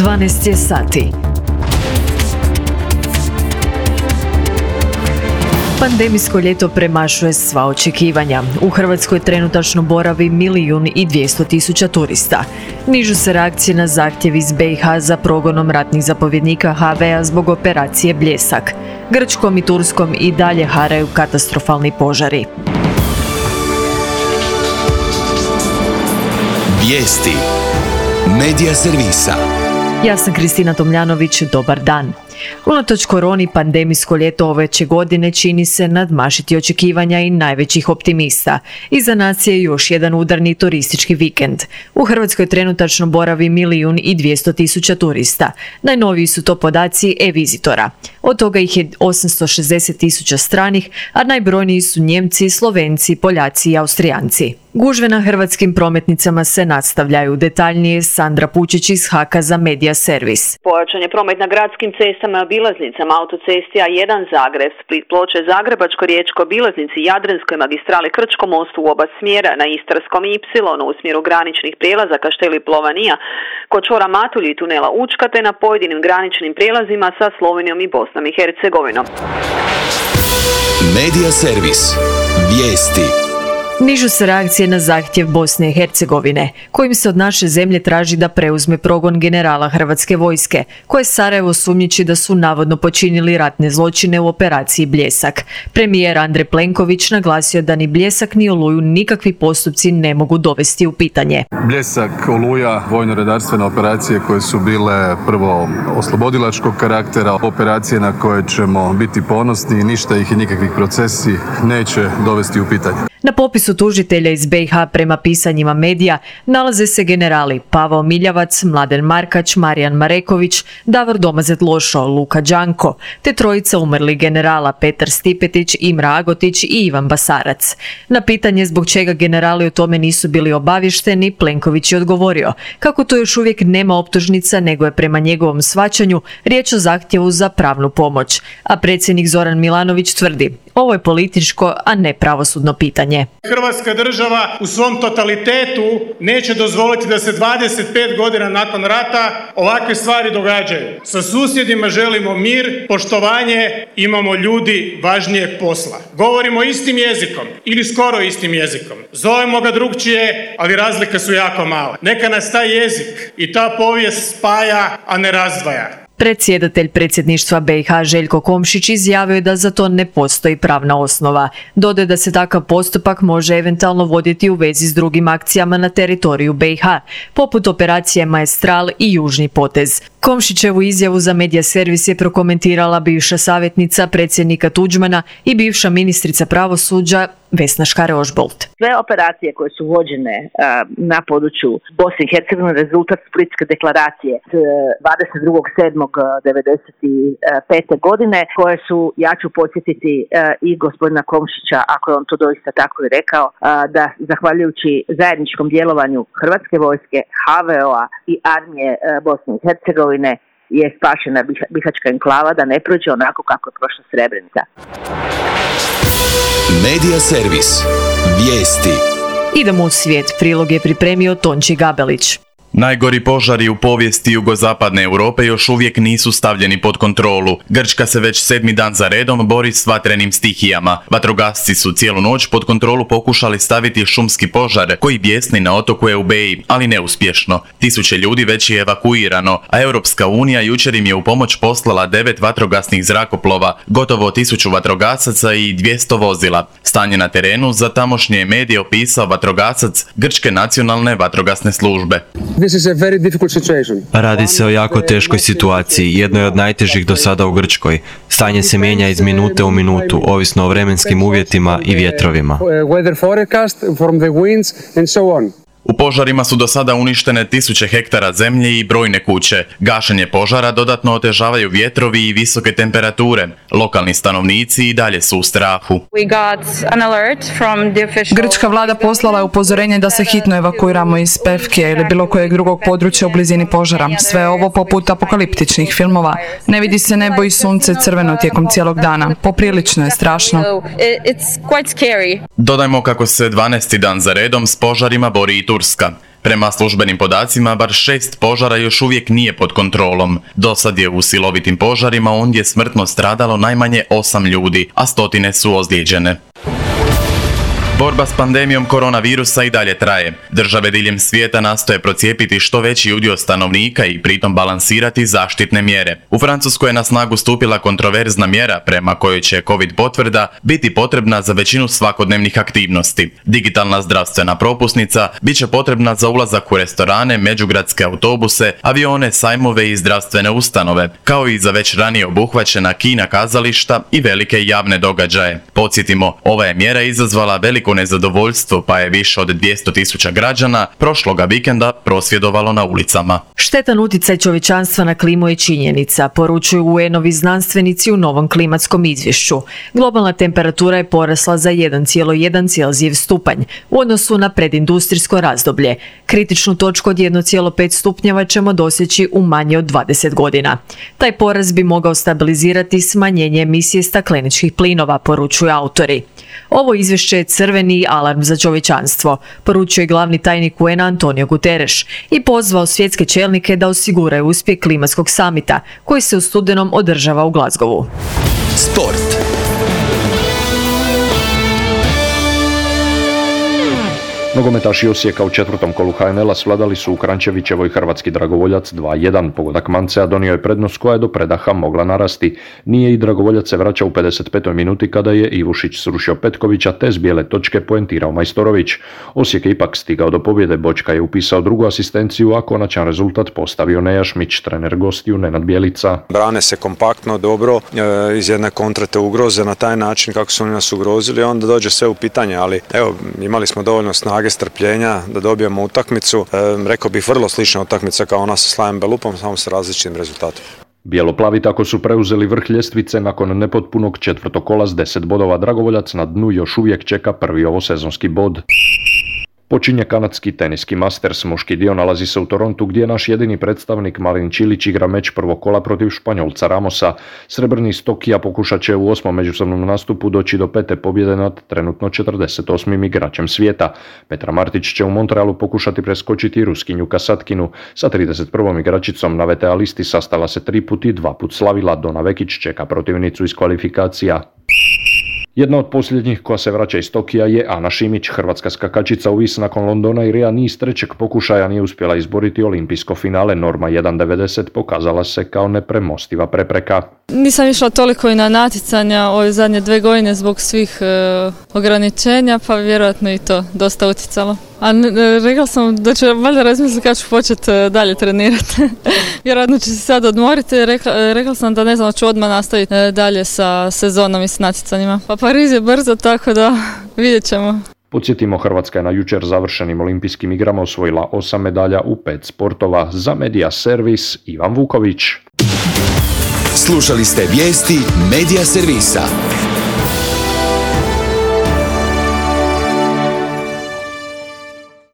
12 je sati. Pandemijsko ljeto premašuje sva očekivanja. U Hrvatskoj trenutačno boravi 1.200.000 turista. Nižu se reakcije na zahtjev iz BiH za progonom ratnih zapovjednika HV-a zbog operacije Bljesak. Grčkom i Turskom i dalje haraju katastrofalni požari. Vijesti Medija servisa. Ja sam Kristina Tomljanović, dobar dan. Unatoč koroni, pandemijsko ljeto ove će godine čini se nadmašiti očekivanja i najvećih optimista. Iza nas je još jedan udarni turistički vikend. U Hrvatskoj trenutačno boravi 1.200.000 turista. Najnoviji su to podaci e-vizitora. Od toga ih je 860.000 stranih, a najbrojniji su Njemci, Slovenci, Poljaci i Austrijanci. Gužve na hrvatskim prometnicama se nastavljaju. Detaljnije Sandra Pučić iz HAK-a za Medija servis. Pojačan je promet na gradskim cestama i obilaznicama, autocesti A1 Zagreb, Split, Ploče, Zagrebačko, Riječko, obilaznici Jadranskoj magistrali, Krčkom mostu u oba smjera, na Istarskom Y u smjeru graničnih prijelaza Kašteli Plovanija, kod čvora Matulji i tunela Učka, te na pojedinim graničnim prijelazima sa Slovenijom i Bosnom i Hercegovinom. Medija servis. Vijesti. Nižu se reakcije na zahtjev Bosne i Hercegovine, kojim se od naše zemlje traži da preuzme progon generala Hrvatske vojske, koje Sarajevo sumnjiči da su navodno počinili ratne zločine u operaciji Bljesak. Premijer Andrej Plenković naglasio da ni Bljesak ni Oluju nikakvi postupci ne mogu dovesti u pitanje. Bljesak, Oluja, vojno-redarstvene operacije koje su bile prvo oslobodilačkog karaktera, operacije na koje ćemo biti ponosni i ništa ih i nikakvih procesi neće dovesti u pitanje. Na popisu tužitelja iz BiH prema pisanjima medija nalaze se generali Pavao Miljavac, Mladen Markač, Marijan Mareković, Davor Domazet-Lošo, Luka Đanko, te trojica umrlih generala Petar Stipetić, Imra Agotić i Ivan Basarac. Na pitanje zbog čega generali o tome nisu bili obavješteni, Plenković je odgovorio kako to još uvijek nema optužnica, nego je prema njegovom shvaćanju riječ o zahtjevu za pravnu pomoć. A predsjednik Zoran Milanović tvrdi, ovo je političko, a ne pravosudno pitanje. Hrvatska država u svom totalitetu neće dozvoliti da se 25 godina nakon rata ovakve stvari događaju. Sa susjedima želimo mir, poštovanje, imamo ljudi važnijeg posla. Govorimo istim jezikom ili skoro istim jezikom. Zovemo ga drugčije, ali razlike su jako male. Neka nas taj jezik i ta povijest spaja, a ne razdvaja. Predsjedatelj predsjedništva BiH Željko Komšić izjavio je da za to ne postoji pravna osnova. Dodaje da se takav postupak može eventualno voditi u vezi s drugim akcijama na teritoriju BiH, poput operacije Maestral i Južni potez. Komšićevu izjavu za Medija servis je prokomentirala bivša savjetnica predsjednika Tuđmana i bivša ministrica pravosuđa Vesna Škare-Ožbolt. Sve operacije koje su vođene na području Bosne i Hercegovine rezultat Splitske deklaracije 22.7.1995. godine, koje su, ja ću podsjetiti i gospodina Komšića, ako je on to doista tako i rekao, da zahvaljujući zajedničkom djelovanju Hrvatske vojske, HVO-a i armije Bosne i Hercegovine je spašena Bihaćka enklava da ne prođe onako kako je prošla Srebrenica. Medija servis. Vijesti. Idemo u svijet. Prilog je pripremio Tonči Gabelić. Najgori požari u povijesti jugozapadne Europe još uvijek nisu stavljeni pod kontrolu. Grčka se već 7. dan za redom bori s vatrenim stihijama. Vatrogasci su cijelu noć pod kontrolu pokušali staviti šumski požar koji bijesni na otoku Eubeji, ali neuspješno. 1000 ljudi već je evakuirano, a Europska unija jučer im je u pomoć poslala 9 vatrogasnih zrakoplova, gotovo 1000 vatrogasaca i 200 vozila. Stanje na terenu za tamošnje medije opisao vatrogasac Grčke nacionalne vatrogasne službe. Radi se o jako teškoj situaciji, jednoj od najtežih do sada u Grčkoj. Stanje se mijenja iz minute u minutu, ovisno o vremenskim uvjetima i vjetrovima. U požarima su do sada uništene 1000 hektara zemlje i brojne kuće. Gašenje požara dodatno otežavaju vjetrovi i visoke temperature. Lokalni stanovnici i dalje su u strahu. Grčka vlada poslala je upozorenje da se hitno evakuiramo iz Pevke ili bilo kojeg drugog područja u blizini požara. Sve ovo poput apokaliptičnih filmova. Ne vidi se nebo i sunce crveno tijekom cijelog dana. Poprilično je strašno. Dodajmo kako se 12. dan za redom s požarima bori i Turska. Turska. Prema službenim podacima, bar 6 požara još uvijek nije pod kontrolom. Dosad je u silovitim požarima ondje smrtno stradalo najmanje 8 ljudi, a stotine su ozlijeđene. Borba s pandemijom koronavirusa i dalje traje. Države diljem svijeta nastoje procijepiti što veći udio stanovnika i pritom balansirati zaštitne mjere. U Francuskoj je na snagu stupila kontroverzna mjera prema kojoj će COVID potvrda biti potrebna za većinu svakodnevnih aktivnosti. Digitalna zdravstvena propusnica bit će potrebna za ulazak u restorane, međugradske autobuse, avione, sajmove i zdravstvene ustanove, kao i za već ranije obuhvaćena kina, kazališta i velike javne događaje. Podsjetimo, ova je mjera izazvala veliko nezadovoljstvo, pa je više od 200.000 građana prošloga vikenda prosvjedovalo na ulicama. Štetan utjecaj čovječanstva na klimu je činjenica, poručuju UN-ovi znanstvenici u novom klimatskom izvješću. Globalna temperatura je porasla za 1,1 Celzijev stupanj u odnosu na predindustrijsko razdoblje. Kritičnu točku od 1,5 stupnjeva ćemo doseći u manje od 20 godina. Taj porast bi mogao stabilizirati smanjenje emisije stakleničkih plinova, poručuju autori. Ovo izvješće je crveni alarm za čovječanstvo, poručuje glavni tajnik UN Antonio Guterres i pozvao svjetske čelnike da osiguraju uspjeh klimatskog samita koji se u studenom održava u Glasgowu. Sport. Nogometaši Osijeka u četvrtom kolu HNL-a svladali su u Krančevićevoj hrvatski dragovoljac 2-1. Pogodak Mancea donio je prednost koja je do predaha mogla narasti. Nije i dragovoljac se vraća u 55. minuti kada je Ivušić srušio Petkovića te s bijele točke poentirao Majstorović. Osijek je ipak stigao do pobjede, Bočka je upisao drugu asistenciju, a konačan rezultat postavio Nejašmić, trener gostiju Nenad Bjelica. Brane se kompaktno, dobro, iz jedne kontre te ugroze na taj način kako su oni nas ugrozili, onda dođe sve u pitanje, ali evo, imali smo dovoljno snage, strpljenja da dobijemo utakmicu. Rekao bih vrlo slična utakmica kao ona sa Slajem Belupom, samo sa različitim rezultatom. Bijeloplavi tako su preuzeli vrh ljestvice nakon nepotpunog četvrtog kola s 10 bodova. Dragovoljac na dnu još uvijek čeka prvi ovosezonski bod. Počinje kanadski teniski Masters, muški dio nalazi se u Torontu gdje naš jedini predstavnik Marin Čilić igra meč prvog kola protiv Španjolca Ramosa. Srebrni iz Tokija pokušat će u 8. međusobnom nastupu doći do 5. pobjede nad trenutno 48. igračem svijeta. Petra Martić će u Montrealu pokušati preskočiti Ruskinju Kasatkinu. Sa 31. igračicom na VTA listi sastala se 3 put i 2 put slavila. Dona Vekić čeka protivnicu iz kvalifikacija. Jedna od posljednjih koja se vraća iz Tokija je Ana Šimić. Hrvatska skakačica u vis nakon Londona i Ria niz trećeg pokušaja nije uspjela izboriti olimpijsko finale. Norma 1.90 pokazala se kao nepremostiva prepreka. Nisam išla toliko i na natjecanja ove zadnje 2 godine zbog svih ograničenja, pa vjerojatno i to dosta utjecalo. A rekla sam da ću valjda razmisliti kad ću početi dalje trenirati. Vjerojatno ću se sad odmoriti. Rekla sam da ne znam, ću odmah nastaviti dalje sa sezonom i s natjecanjima. Pa Pariz je brzo, tako da vidjet ćemo. Podsjetimo, Hrvatska je na jučer završenim olimpijskim igrama osvojila 8 medalja u 5 sportova. Za Media Servis, Ivan Vuković. Slušali ste vijesti Media Servisa.